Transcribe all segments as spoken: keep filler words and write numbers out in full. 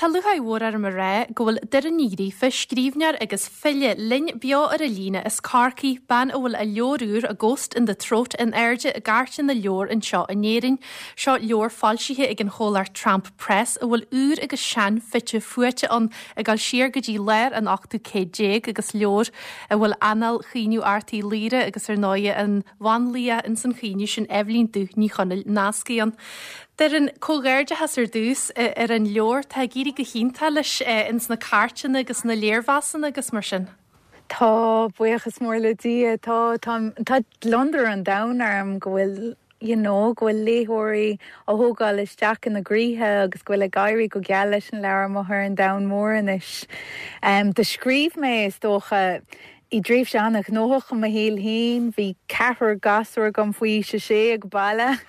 Tá lúcháir mhór orm a rá go bhfuil Doireann Ní Ghríofa, scríbhneoir agus file linn beo ar an líne as Corcaigh, bean a bhfuil a leabhar úr A Ghost in the Throat in airde i gcairteanna na leabhar anseo in Éirinn. Seo leabhar foilsithe ag an chomhlacht Tramp Press a bhfuil úr agus sean fite fuaite ann ag dul siar go dtí lár an ochtú céad déag agus leabhar a bhfuil anal chaoineadh Airt Uí Laoghaire agus ar ndóigh an bhanlaoch ins an chaoineadh sin Eibhlín Dubh Ní Chonaill nasctha ann. Doireann comhghairdeachas ar dtús ar an leabhar tá ag éirí go hiontach leis ins na cairteanna agus na léirmheasanna agus mar sin. Tá buíochas mór le Dia tá tá gliondar an domhain orm go bhfuil you know, go bhfuil léitheoirí á thógáil isteach ina gcroíthe agus go bhfuil ag éirí go geal leis an leabhar amuigh ar an domhan mór anois. Um, do scríobh mé is dócha i dtréimhse an-ghnóthach i mo shaol féin, bhí ceathrar gasúr agam faoi sé sé ag baile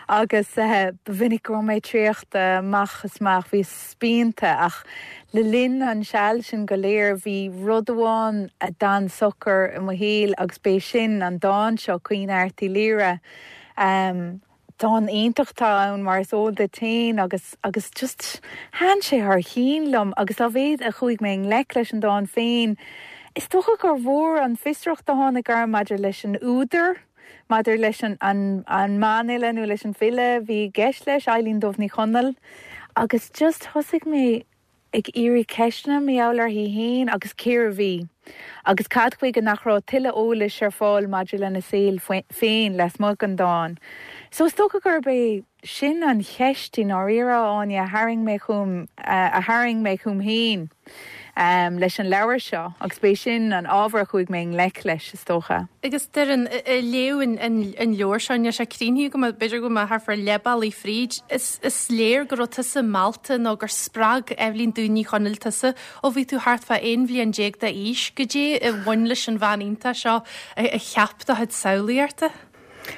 agus uh, ba mhinic go raibh mé traochta amach is amach bhí spíonta ach le linn an seal sin go léir bhí rud amháin a d'fhan socair i mo shaol agus b'é sin an dán seo Caoineadh Airt Uí Laoghaire. Um, Dán iontach atá ann mar is eol duit féin agus agus just thaitin sé thar cionn liom agus dá mhéad a chuaigh mé i ngleic leis an dán féin. Is dócha gur mhór an fiosracht a tháinig orm maidir leis an údar, maidir leis an an, an mbanfhile nó leis an file bhí i gceist leis Eibhlín Dubh Ní Chonaill, agus just thosaigh mé ag iarraidh ceisteanna mar gheall uirthi féin agus cérbh í. Agus cad chuige nach raibh tuilleadh eolais ar fáil maidir lena saol féin lasmuigh den dán. So is dócha gurb é sin an cheist i ndáiríre Áine a tharraing mé chugam a tharraing mé chugam féin. um, leis an leabhar seo agus b'é sin an ábhar a chuaigh mé i ngleic leis is dócha. Agus Doireann léamh an leabhar seo sé críochnaithe go b'fhéidir go mbeidh thart fá leath bealaigh fríd. Is, is léir go raibh tusa meallta nó gur spreag Eibhlín Dubh Ní Chonaill tusa ó bhí tú thart fá aon bhliain déag d'aois, goidé a bhain leis an bhean iontach seo a cheap do chuid samhlaíochta.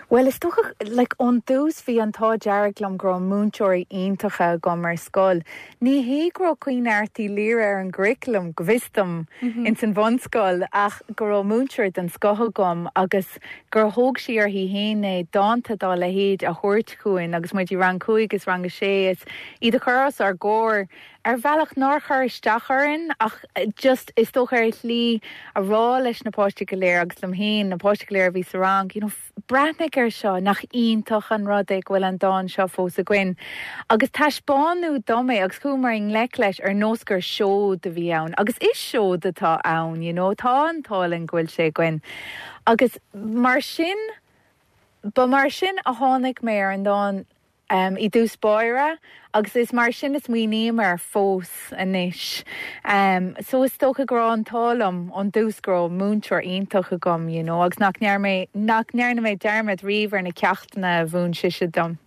Well is dócha like, ón dtús bhí an t-ádh dearg liom go raibh múinteoirí iontacha agam ar scoil. Ní hé go raibh Caoineadh Airt Uí Laoghaire ar an gcurriculum go bhfios dom mm -hmm. ins an bhunscoil ach go raibh múinteoir den scoth agam agus gur thóg sí uirthi féin é dánta dá leithéid a thabhairt chugainn agus muid i rang cúig is rang a sé is iad a chur os ár gcomhair ar bhealach nár chuir isteach orainn ach just is dócha ar shlí a rá leis na páistí go léir agus liom féin na páistí go léir a bhí sa rang you know, breathnaigh air seo nach iontach an rud é go bhfuil an dán seo fós againn. Agus taispeánadh dom é agus chuamar i ngleic leis ar nós gur seod a bhí ann, agus is seod atá ann, you know, tá an t-ádh linn go bhfuil sé againn. Agus mar sin ba mar sin a tháinig mé ar an dán um, i dtús báire agus is mar sin is smaoiním air fós anois. Um, so is dócha go raibh an t-ádh liom ón dtús go raibh múinteoir iontach agam, you know, agus nach ndearna mé nach ndearna mé dearmad riamh ar na ceachtanna a mhúin sise dom.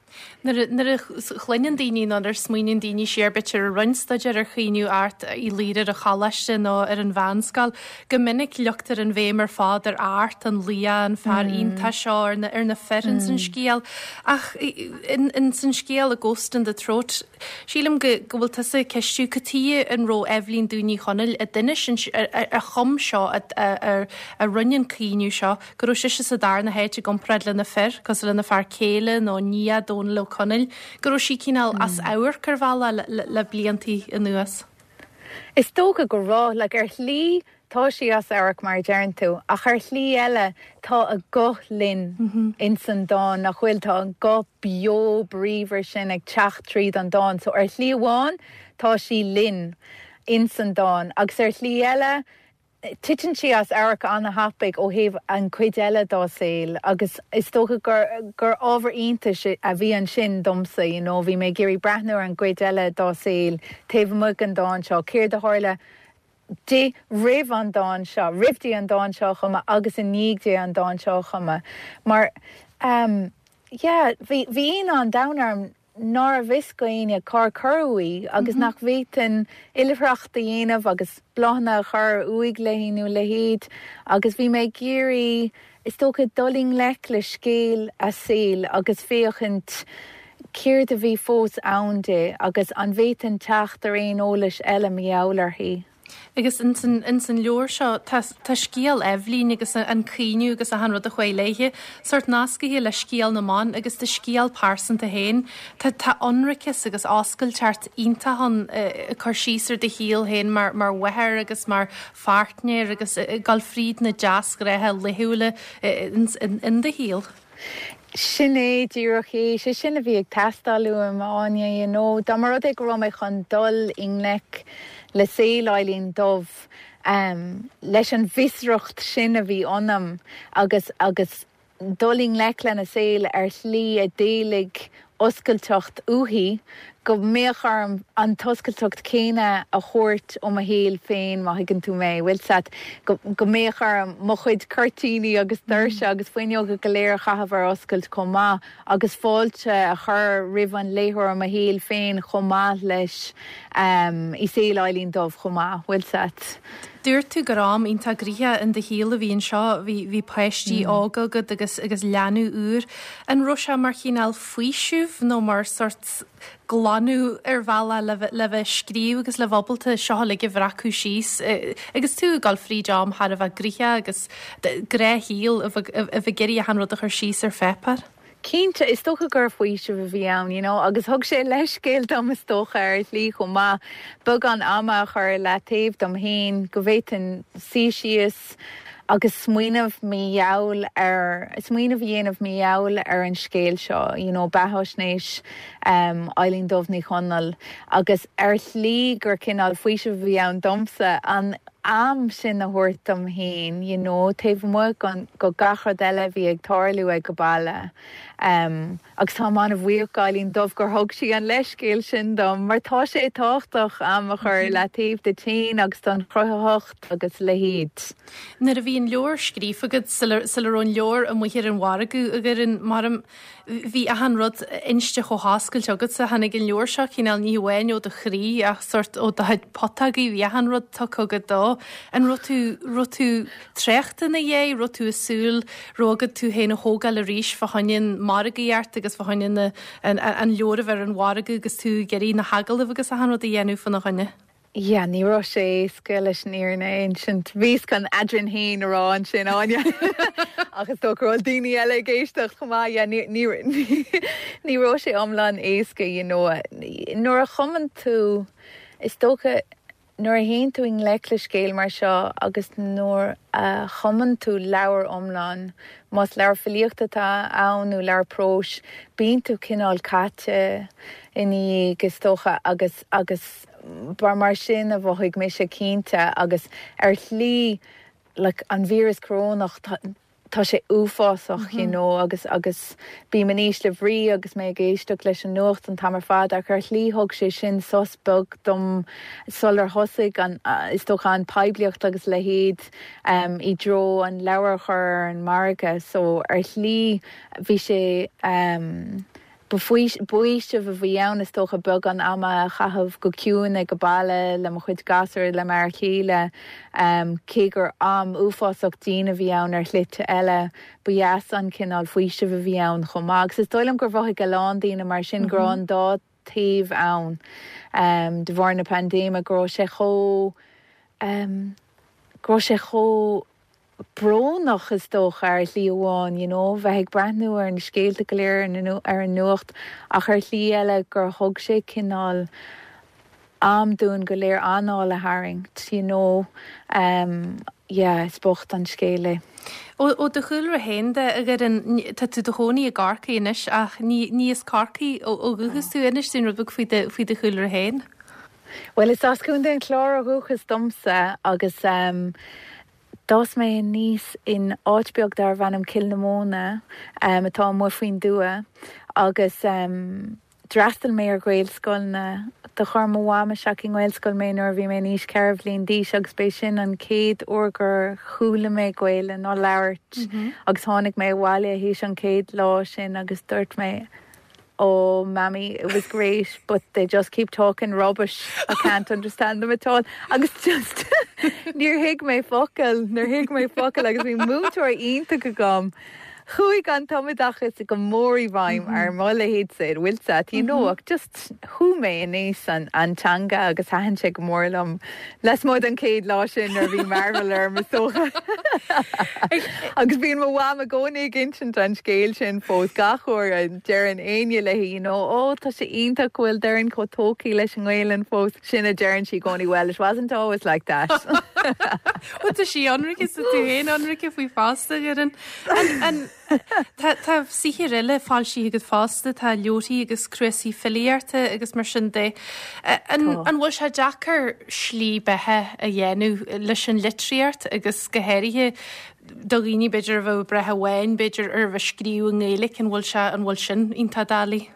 Nuair a chluineann daoine nó ar smaoiníonn daoine siar b'fhéidir ar roinnt staidéar ar Chaoineadh Airt Uí Laoghaire ar an choláiste nó ar an mheánscoil, go minic leagtar an bhéim ar fad ar Art an laoch an fear mm. iontach seo ar na, ar na fir mm. san scéal ach in, in san scéal a Ghost in the Throat sílim go go bhfuil tusa ag ceistiú cad chuige an raibh Eibhlín Dubh Ní Chonaill a d'inis a chum seo a, a rinne an caoineadh seo go raibh sise sa darna háit i gcomparáid lena fir cosúil lena fear céile nó nia Dónall Ó Conaill, go raibh sí cineál as amharc ar bhealach le, le, le bliantaí anuas. Is dócha go raibh le ar shlí tá sí as amharc mar a deireann tú, ach ar shlí eile tá a guth linn mm -hmm. ins an dán nach bhfuil tá an guth beo bríomhar sin ag teacht tríd an dán, so ar shlí amháin tá sí linn ins an dán, agus ar shlí eile titeann sí as amharc an-tapaidh ó thaobh an chuid eile dá saol agus is dócha gur gur ábhar iontais a bhí ansin domsa you know, bhí mé ag iarraidh breathnú ar an gcuid eile dá saol taobh amuigh den dán seo céard a tharla di roimh an dán seo, roimh di an dán seo a chumadh agus i ndiaidh di an dán seo a chumadh. Mar um, yeah, bhí bhí an domhan orm nárbh fhios d'éinne cár cuireadh í agus mm -hmm. nach bhféadfainn oilithreacht a dhéanamh agus bláthanna a chur uaigh léi nó leithéid agus bhí mé ag iarraidh is dócha dul i ngleic le scéal a saoil agus féachaint céard a bhí fós ann di agus an bhféadfainn teacht ar aon eolas eile mar gheall uirthi. Agus ins an, ins an leabhar seo tá, tá scéal Eibhlín agus an caoineadh agus achan rud a chuaigh léithe, sórt nascaithe le scéal na mban agus do scéal pearsanta féin. Tá, tá ionraiceas agus oscailteacht iontach ann ag cur síos ar do shaol féin mar, mar mháthair agus mar pháirtnéir agus ag dul fríd na deasghnátha laethúla in, in, in do shaol. Sin é díreach é sé sin a bhí ag teastáil uaim Áine you know, dá mba rud é go raibh mé chun dul i ngleic le saol Eibhlín Dubh um, leis an bhfiosracht sin a bhí ionam agus agus dul i ngleic lena saol ar shlí a d'éiligh oscailteacht uaithi go mbeadh orm an t-oscailteacht céanna a thabhairt ó mo shaol féin má thuigeann tú mé, bhfuil fhios agat go, go mbeadh orm mo chuid cuirtíní agus doirse agus fuinneoga go léir a chaitheamh ar oscailt chomh maith agus fáilte a chur roimh an léitheoir mo shaol féin chomh maith leis um, i saol Eibhlín Dubh chomh maith, bhfuil fhios agat. Dúirt tú gur am iontach gnoitheach in do shaol a bhí anseo, bhí bhí páistí mm. óga agat agus agus leanbh úr. An raibh sé mar chineál faoiseamh nó mar sórt glanadh ar bhealach le bheith- le bheith scríobh agus le bheith ábalta seo uilig a bhreacadh síos eh, agus tú ag dul fríd am thar a bheith gnoitheach agus gnáthshaol a bheith a bheith ag iarraidh achan rud a chur síos ar pháipéar. Cinnte is dócha gur faoiseamh a bhí ann, you know, agus thug sé leithscéal dom is dócha ar shlí chomh maith beagán ama a chur le taobh dom féin go bhféadfainn suí síos agus smaoineamh mar gheall ar smaoineamh a dhéanamh mar gheall ar an scéal seo, you know, beathaisnéis um, Eibhlín Dubh Ní Chonaill agus ar shlí gur cineál faoiseamh a bhí ann domsa an am sin a thabhairt dom féin, you know, taobh amuigh go, go gach rud eile a bhí ag tarlú ag an mbaile. Um, agus tá an-bhuíoch d'Eibhlín Dubh gur thug sí an leithscéal sin dom, mar tá sé tábhachtach am a chur le taobh duit féin agus don chruthaitheacht agus leithéid. Nuair a bhí an leabhar scríofa agat sula raibh an leabhar amuigh ar an mhargadh agur an mar bhí achan rud inste chomh hoscailte agatsa tháinig an leabhar seo cineál ní hamháin ó do chroí ach sórt ó do putógaí bhí achan rud tugtha agat dó. An raibh tú raibh tú traochta ina dhiaidh, raibh tú ag súil raibh agat tú féin a thógáil arís fá choinne an margaíocht agus fá choinne an, an leabhar a bheith ar an mhargadh agus tú ag iarraidh na hagallaimh agus achan rud a dhéanamh faoina choinne. Ja, ní raibh sé éasca leis an fhírinne a insint. Bhíos chun eadrainn féin a rá ansin Áine. Ach is dócha go bhfuil daoine eile ag éisteacht chomh maith yeah, ní ní ní raibh sé iomlán éasca you know. Nuair a chumann tú is dócha nuair a théann tú i ngleic le scéal mar seo agus nuair a chumann tú leabhar iomlán, más leabhar filíochta atá ann nó leabhar próis, bíonn tú cineál caite ina dhiaidh is dócha agus agus bar mar sin a mhothaigh mise cinnte agus ar shlí like, an víreas corónach tá, tá sé uafásach mm -hmm. you know, agus agus bím in ísle brí agus mé ag éisteacht leis an nuacht an t-am ar fad ach ar shlí thug sé sin sos beag dom sular thosaigh an uh, is dócha an poiblíocht agus leithéid um, i dtreo an leabhar chur ar an margadh so ar shlí bhí sé um, B'fhaoiseamh a bhí ann is dócha beagán ama a chaitheamh go ciúin ag an mbaile le mo chuid gasúr le m'fhear céile um, cé gur am uafásach dian a bhí ann ar shlite eile ba dheas an cineál faoiseamh a bhí ann chomh maith. Agus is dóigh liom gur mhothaigh a lán daoine mar sin go raibh an dá taobh ann um, de bharr na paindéime go raibh sé chomh um, go raibh sé chomh brónach is dócha ar shlí amháin, you know, bheith ag breathnú ar na scéalta go léir ar an nuacht ach ar shlí eile gur thug sé cineál am dúinn go léir anáil a tharraingt, you know, um, yeah, is bocht an scéal é. Ó ó do chúlra féin de a Dhoireann tá tú i do chónaí i gCorcaigh anois ach ní ní as Corcaigh ó ó dhúchas tú inis dúinn rud beag faoi do faoi do chúlra féin. Well is as Contae an Chláir ó dhúchas domsa agus um, D'fhás mé aníos in áit beag darbh ainm Cill na Móna um, atá amuigh faoin dtuath agus um, d'fhreastail mé ar Ghaelscoileanna do chuir mo mham isteach i nGaelscoil mé nuair a bhí mé in aois ceithre bhliain d'aois agus b'é sin an chéad uair gur chuala mé Gaeilge á labhairt mm -hmm. agus tháinig mé abhaile théis an chéad lá sin agus dúirt mé oh mammy it was great but they just keep talking rubbish I can't understand them at all agus just níor thuig mé focal níor thuig mé focal agus bhí múinteoir iontach agam Chuaigh an tumoideachas go mór i bhfeidhm ar mo leithéidse bhfuil a fhios agat you know ach just thug mé aníos an an teanga agus thaitin sé go mór liom lasmuigh den chéad lá sin ar bhí mearbhall orm is dócha. Agus bíonn mo mham i gcónaí ag insint an scéal sin fós gach uair a deireann éinne léi you know ó tá sé iontach go bhfuil Doireann chomh tógtha leis an nGaelainn fós sin a deireann sí i gcónaí well it wasn't always like that. Well tá sí ionraic is tú féin ionraic faoi fosta ar an an Tá saothar eile foilsithe agat fosta tá leabharthaí agus cnuasaigh filíochta agus mar sin de. An bhfuil sé deacair slí beatha a dhéanamh leis an litríocht agus go háirithe do dhaoine b'fhéidir a bheith ag brath amháin b'fhéidir ar bheith scríobh i nGaeilge an bhfuil sé an bhfuil sin iontach doiligh.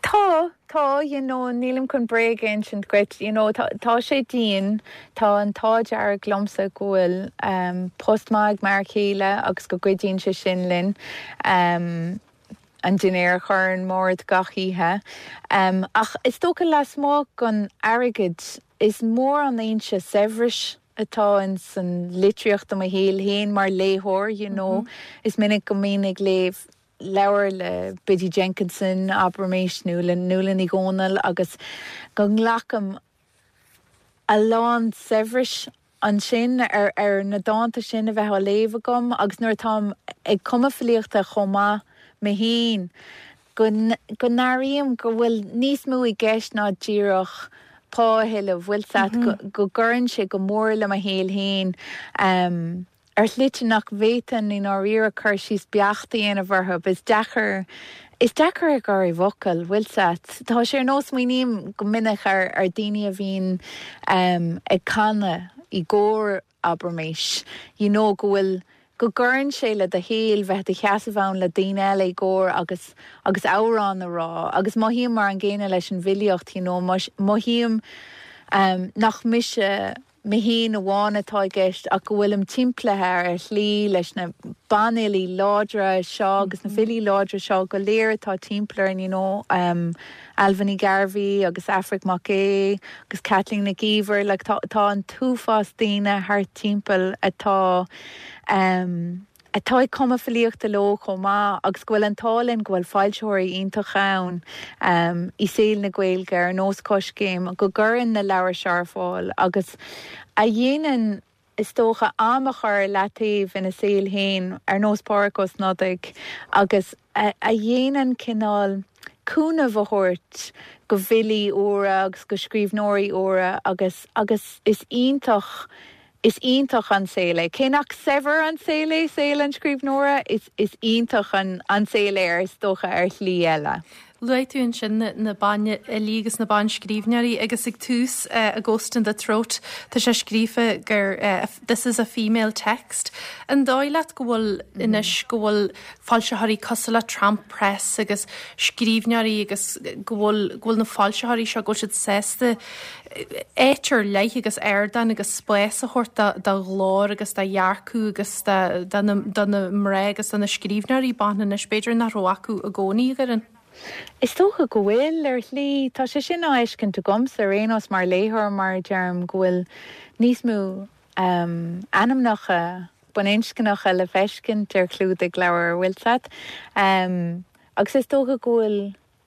Tá tá you know, nílim chun bréag a insint duit you know, tá, tá sé dian tá an t-ádh dearg liomsa go bhfuil um, post maith mar chéile agus go gcuidíonn sé sin linn. Um, an dinnéar a chur ar an mbord gach oíche. Um, ach is dócha lasmuigh den airgead is mór an fhoinse saibhris atá in san litríocht i mo shaol féin mar léitheoir you know. Mm -hmm. Is minic go mbím ag léamh leabhar le Biddy Jenkinson abraimis nó le Nuala Ní Dhomhnaill agus go nglacaim a lán saibhris ansin ar ar na dánta sin a bheith á léamh agam agus nuair atáim ag cumadh filíochta chomh maith mé féin go go n-airím go bhfuil níos mó i gceist ná díreach pá a thuilleamh bhfuil a fhios agat go, go gcuireann sé go mór le mo shaol féin. Um, ar shlite nach bhféadfainn i ndáiríre cur síos beacht a dhéanamh orthu, is deacair is deacair a chur i bhfocail, bhfuil a fhios agat. Tá sé ar nós smaoiním go minic ar ar daoine a bhíonn um, ag canadh i gcór abraimis, you know, go bhfuil go gcuireann sé le do shaol bheith i do sheasamh ann le daoine eile i gcór agus agus amhrán a rá, agus mothaím mar an gcéanna leis an bhfilíocht, you know, mothaím um, nach mise mé féin amháin atá i gceist ach go bhfuilim timpeallaithe ar shlí leis na banfhilí láidre seo agus na filí láidre seo go léir atá timpeall orainn you know, um, Ailbhe Ní Ghearbhuigh agus Aifric Mac Aodha agus Caitlín Nic Íomhair, like, tá, tá an t-uafás daoine thart timpeall atá um, atá ag cumadh filíochta leo chomh maith agus go bhfuil an t-ádh linn go bhfuil foilsitheoirí iontacha ann um, i saol na Gaeilge ar nós Coiscéim go gcuireann na leabhair seo ar fáil agus a dhéanann is dócha am a chur le taobh ina saol féin ar nós Pádraig Ó Snodaigh agus a, a dhéanann cineál cúnamh a thabhairt go bhfilí úra agus go scríbhneoirí úra agus agus is iontach is iontach an saol é. Cé nach saibhir an saol é saol an scríbhneora is is iontach an an saol é is dócha ar shlí eile. Luaigh tú ansin na, na banfhilí agus na banscríbhneoirí agus ag tús uh, a Ghost in the Throat Tá sé scríofa gur uh, this is a female text. An dóigh leat go bhfuil mm. anois go bhfuil foilsitheoirí cosúil le Tramp Press agus scríbhneoirí agus go bhfuil go bhfuil na foilsitheoirí seo go siad sásta áit ar leith agus ardán agus spás a thabhairt do ghlór agus do dhearcadh agus do na mná agus do na scríbhneoirí ban anois b'fhéidir nach raibh acu i gcónaí a Dhoireann. Is dócha go bhfuil ar shlí tá sé sin á fheiscint agamsa ar aon nós mar léitheoir mar deirim go bhfuil níos mó um, ainmneacha baininscneacha le feiscint ar chlúdaigh leabhar bhfuil a fhios agat. Um, agus is dócha go bhfuil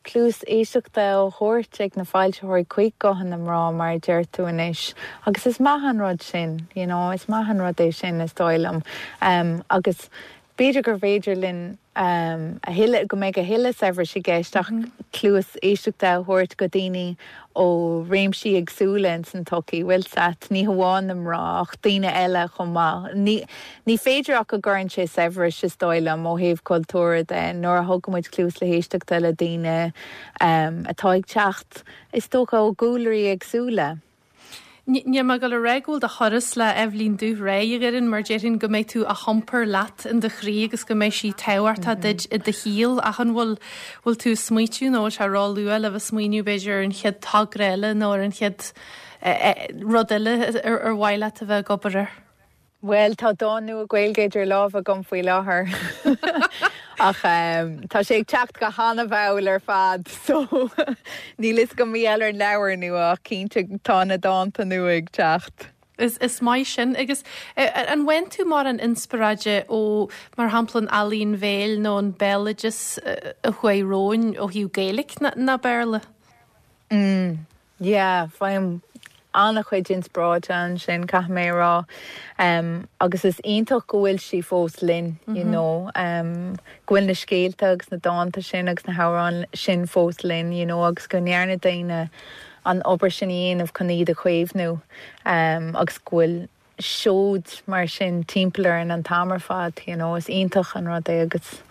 cluas éisteachta á thabhairt ag na foilsitheoirí chuig guthanna na mná mar deir tú anois. Agus is maith an rud sin, you know, is maith an rud é sin is dóigh liom. Um, agus b'fhéidir gur féidir linn um, a thuilleadh go mbeidh a thuilleadh saibhris i gceist ach mm -hmm. cluas éisteachta a thabhairt go daoine ó réimsí éagsúla in san tsochaí bhfuil a fhios agat ní hamháin na mná ach daoine eile chomh maith. Ní, ní féidir ach go gcuireann sé saibhreas is dóigh liom ó thaobh cultúir de nuair a thugaimid cluas le héisteachta le daoine um, atá ag teacht is dócha ó chúlraí éagsúla. Ní mar go ré bhfuil do thuras le Eibhlín Dubh réidh a Dhoireann mar déarfainn go mbeidh tú á hiompar leat in do chroí agus go mbeidh sí tábhachtach duit i do shaol ach an bhfuil bhfuil tú ag smaointiú nó sé ró-luath le bheith smaoineamh b'fhéidir ar an chéad togra eile nó ar an chéad rud eile ar ar mhaith leat a bheith ag obair air. Well tá dán nua Gaeilge idir lámha agam faoi láthair. Ach um, tá sé ag teacht go han-mhall ar fad, so níl fhios agam mé ar an leabhar nua ach cinnte tá na dánta nua ag teacht. Is, is maith sin agus an bhfaigheann tú mórán inspioráide ó mar shampla an ealaín bhéil nó an béaloideas a chuaigh romhainn ó thaobh Gaeilge ná Béarla? Mm, yeah, faighim an-chuid inspioráide ansin caithfidh mé rá um, agus is iontach go bhfuil sí fós linn mm -hmm. you know, um, go bhfuil na scéalta agus na dánta sin agus na hamhráin sin fós linn you know, agus go ndearna daoine an obair sin a dhéanamh chun iad a chaomhnú um, agus go bhfuil seod mar sin timpeall orainn an t-am ar fad you know, is iontach an rud é agus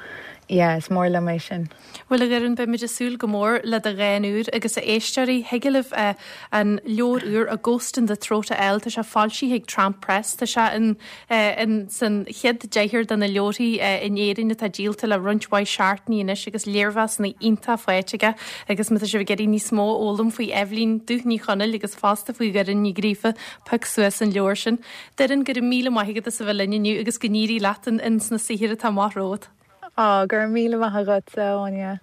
yeah, is mór liom é sin. Well a Dhoireann beimid ag súil go mór le do dhán úr agus a éisteoirí thig libh uh, an leabhar úr a Ghost in the Throat a fháil tá sé foilsithe ag Tramp Press tá sé in, uh, in san chéad deichniúr de na leabharthaí uh, in Éirinn atá díolta le roinnt mhaith seachtainí anois agus léirmheasanna iontacha faighte aige agus má tá sibh ag iarraidh níos mó a fhoghlaim faoi Eibhlín Dubh Ní Chonaill agus fosta faoi Dhoireann Ní Ghríofa pioc suas an leabhar sin. Doireann go raibh míle maith agat as a bheith linn inniu agus go n-éirí leat in, in sna saothair atá amach romhat. Á gur míle maith agat Áine.